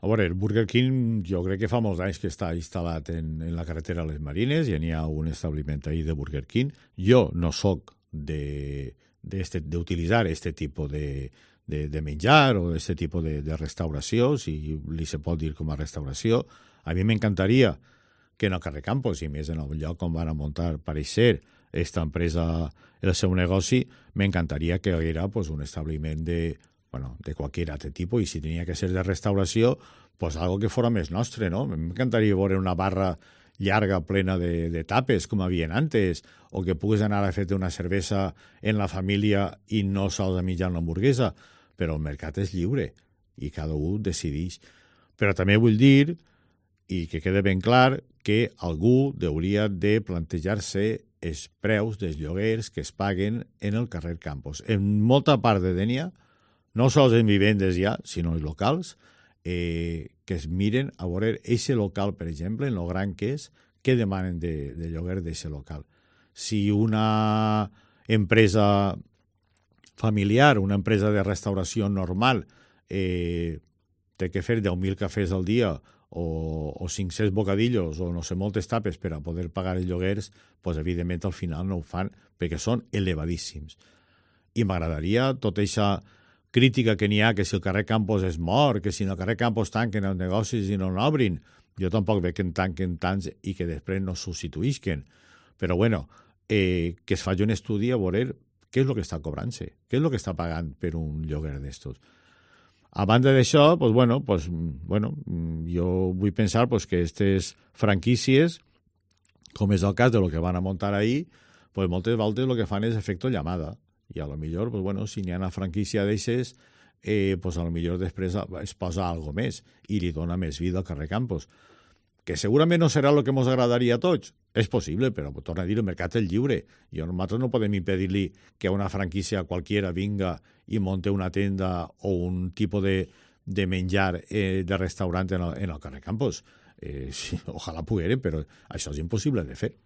veure, el Burger King jo crec que fa molts anys que està instal·lat en la carretera Les Marines i n'hi ha un establiment ahí de Burger King. Jo no sóc d'utilitzar este tipus de menjar o este tipus de restauració, si li se pot dir com a restauració. A mi m'encantaria que en el carrer Campos, i més en el lloc on van a muntar, pareixer, esta empresa, el seu negoci, m'encantaria que hi haguera pues, un establiment de qualsevol altre tipus, i si tenia que ser de restauració, pues algo que fora més nostre, no? M'encantaria veure una barra llarga plena de tapes, com havien antes, o que puguis anar a fer-te una cervesa en la família i no sols a mitjar una hamburguesa, però el mercat és lliure i cada un decideix. Però també vull dir, i que quede ben clar, que algú hauria de plantejar-se els preus dels lloguers que es paguen en el carrer Campos. En molta part de Dénia, no sols en vivendes ja, sinó en locals, que es miren a veure eixe local, per exemple, en lo gran que és, què demanen de lloguer d'eixe local. Si una empresa familiar, una empresa de restauració normal, té que fer 10.000 cafès al dia o 500 bocadillos o no sé, moltes tapes per a poder pagar els lloguers, doncs evidentment al final no ho fan perquè són elevadíssims. I m'agradaria tota aquesta crítica que n'hi ha, que si el carrer Campos és mort, que si en el carrer Campos tanquen els negocis i no n'obrin, jo tampoc veig que en tanquen tants i que després no substituïsquen. Però bueno, que es faci un estudi a veure què és el que està cobrant-se, què és el que està pagant per un lloguer d'estos. A banda d'això, jo vull pensar que aquestes franquícies, com és el cas de lo que van a muntar ahir, moltes voltes el que fan és efecte llamada. I a lo millor, si n'hi ha una franquícia d'aixes, a lo millor després es posa algo més i li dona més vida al carrer Campos. Que segurament no serà el que ens agradaria a tots. És possible, però torna a dir, el mercat és lliure. I nosaltres no podem impedir-li que una franquícia qualquiera vinga i monte una tenda o un tipus de menjar de restaurant en el carrer Campos. Ojalà poguera, però això és impossible de fer.